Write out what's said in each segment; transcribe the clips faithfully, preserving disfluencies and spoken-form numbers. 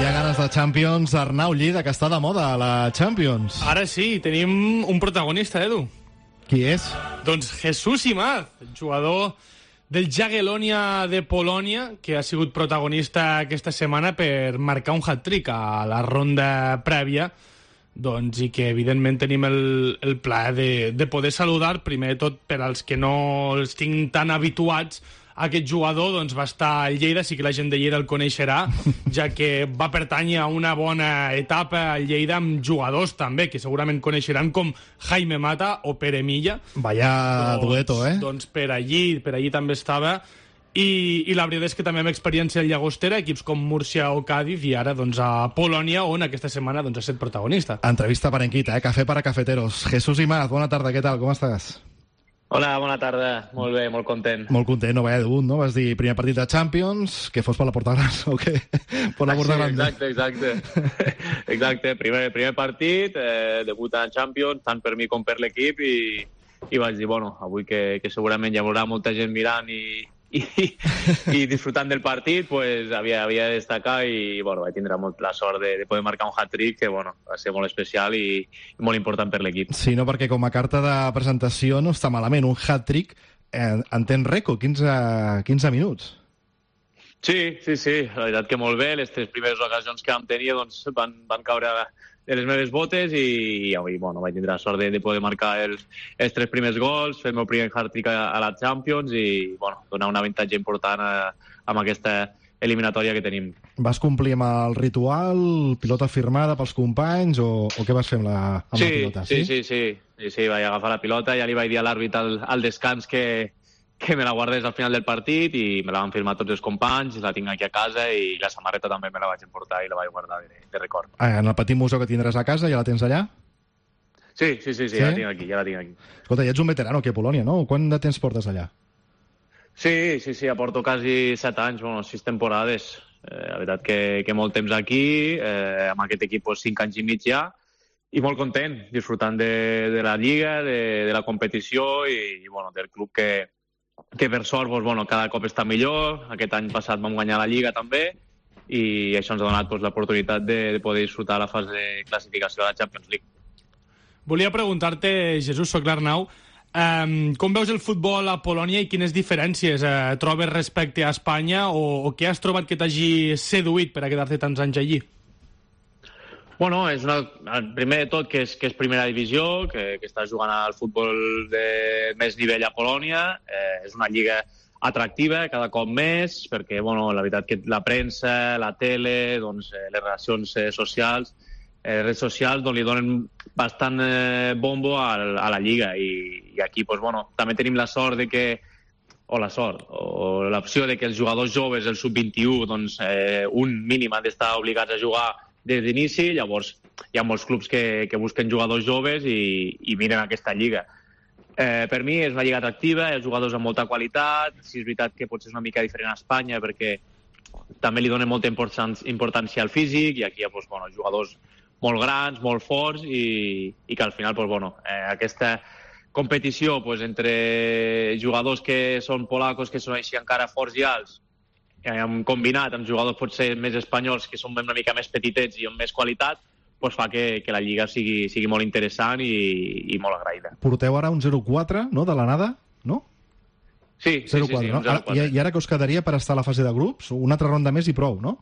Hi ha ganes de Champions. Arnau Lleida, que està de moda a la Champions. Ara sí, tenim un protagonista, Edu. Qui és? Doncs Jesús Imaz, jugador del Jagiellonia de Polònia, que ha sigut protagonista aquesta setmana per marcar un hat-trick a la ronda prèvia, doncs, i que evidentment tenim el, el plaer de, de poder saludar, primer de tot per als que no els tinc tan habituats. Aquest jugador doncs, va estar al Lleida, sí que la gent de Lleida el coneixerà, ja que va pertànyer a una bona etapa al Lleida amb jugadors també, que segurament coneixeran, com Jaime Mata o Pere Milla. Vaya doncs, dueto, eh? Doncs per allí, per allí també estava. I, i la veritat és que també amb experiència al Llagostera, equips com Múrcia o Cádiz, i ara doncs, a Polònia, on aquesta setmana doncs, ha estat protagonista. Entrevista parenquita, eh? Café para cafeteros. Jesús Imaz, bona tarda, què tal? Com estàs? Hola, bona tarda. Molt bé, molt content. Molt content, no vaya debut, no? Vas dir primer partit de Champions, que fos per la porta gran, o què? Per la porta gran. Sí, exacte, exacte. Exacte, primer, primer partit, eh, debut en Champions, tant per mi com per l'equip, i, i vaig dir, bueno, avui que, que segurament hi haurà molta gent mirant i, i, i disfrutant del partit, pues havia, havia de destacar i, bueno, vaig tindre molt la sort de, de poder marcar un hat-trick que, bueno, va ser molt especial i, i molt important per l'equip. Sí, no, perquè com a carta de presentació no està malament. Un hat-trick en, en temps rècord, quinze, quinze minuts. Sí, sí, sí, la veritat que molt bé. Les tres primeres ocasions que vam tenir doncs, van, van caure de les meves botes i, i avui, bueno, vaig tindre la sort de, de poder marcar els, els tres primers gols, fer el meu primer hat-trick a, a la Champions i, bueno, donar un avantatge important a, amb aquesta eliminatòria que tenim. Vas complir amb el ritual, pilota firmada pels companys, o, o què vas fer amb la, amb sí, la pilota? Sí, sí, sí, sí, sí, sí, vaig agafar la pilota, ja li vaig dir a l'àrbit al, al descans que, que me la guardés al final del partit i me la van firmar tots els companys, la tinc aquí a casa i la samarreta també me la vaig emportar i la vaig guardar de, de record. Ah, en el petit museu que tindràs a casa, ja la tens allà? Sí, sí, sí, sí, sí? Ja la tinc aquí, ja la tinc aquí. Escolta, ja ets un veterano aquí a Polònia, no? Quant de temps portes allà? Sí, sí, sí, aporto quasi set anys, bueno, sis temporades. Eh, la veritat que, que molt temps aquí, eh, amb aquest equip pues, cinc anys i mig ja, i molt content, disfrutant de, de la lliga, de, de la competició i, i bueno, del club que, que per sort pues, bueno, cada cop està millor. Aquest any passat vam guanyar la Lliga també i això ens ha donat pues, l'oportunitat de, de poder disfrutar la fase de classificació de la Champions League. Volia preguntar-te, Jesús, soc l'Arnau, um, com veus el futbol a Polònia i quines diferències uh, trobes respecte a Espanya o, o què has trobat que t'hagi seduït per a quedar-te tants anys allí? Bueno, és una, primer de tot que és, que és primera divisió, que, que està jugant al futbol de més nivell a Polònia. Eh, és una lliga atractiva cada cop més, perquè bueno, la veritat que la premsa, la tele, doncs, eh, les relacions eh, socials, eh, les redes socials doncs, li donen bastant eh, bombo a, a la lliga. I, i aquí doncs, bueno, també tenim la sort de que o la sort, o l'opció de que els jugadors joves, el sub vint-i-u, doncs, eh, un mínim han d'estar obligats a jugar des d'inici, llavors hi ha molts clubs que, que busquen jugadors joves i, i miren aquesta lliga. Eh, per mi és una lliga atractiva, els jugadors amb molta qualitat, si és veritat que potser és una mica diferent a Espanya perquè també li donen molta importància al físic i aquí hi ha doncs, bueno, jugadors molt grans, molt forts i, i que al final doncs, bueno, eh, aquesta competició doncs, entre jugadors que són polacos, que són així encara forts i alts, hem combinat amb jugadors potser més espanyols que són una mica més petitets i amb més qualitat, doncs fa que, que la lliga sigui, sigui molt interessant i, i molt agraïda. Porteu ara un zero quatre, no?, de l'anada, no? Sí, sí, sí, sí, no? Ara, i, I ara que us quedaria per estar a la fase de grups? Una altra ronda més i prou, no?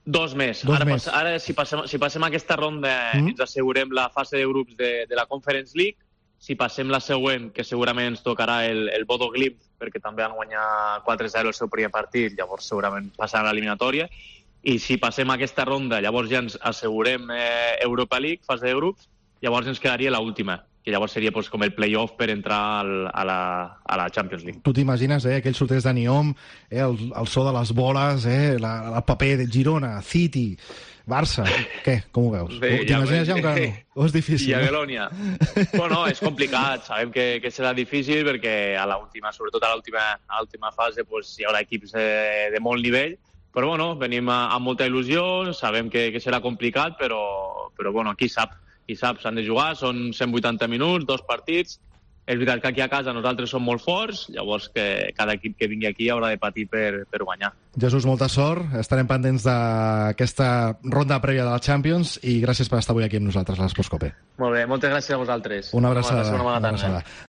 Dos més. Dos ara, més. Pas, ara si, passem, si passem aquesta ronda mm. ens assegurem la fase de grups de, de la Conference League. Si passem la següent, que segurament ens tocarà el, el Bodo Glimt, perquè també han guanyat quatre zero el seu primer partit, llavors segurament passaran a l'eliminatòria. I si passem aquesta ronda, llavors ja ens assegurem eh, Europa League, fase de grups, llavors ens quedaria l'última, que llavors seria pues, com el play-off per entrar al, a, la, a la Champions League. Tu t'imagines, eh, aquells sorteig de Niom, eh, el, el so de les boles, eh, la, el paper de Girona, City, Barça, què? Com ho veus? T'imagines ja encara no? O és difícil? Jagiellonia. Bueno, és complicat, sabem que, que serà difícil perquè a l'última, sobretot a l'última fase, pues, hi haurà equips de, de molt nivell, però bueno, venim amb molta il·lusió, sabem que, que serà complicat, però, però bueno, qui sap, qui sap, s'han de jugar, són cent vuitanta minuts, dos partits, és veritat que aquí a casa nosaltres som molt forts, llavors que cada equip que vingui aquí haurà de patir per, per guanyar. Jesús, molta sort. Estarem pendents d'aquesta ronda prèvia de la Champions i gràcies per estar avui aquí amb nosaltres a l'Esports Cope. Molt bé, moltes gràcies a vosaltres. Una abraçada. Una bona tarda. Una abraçada.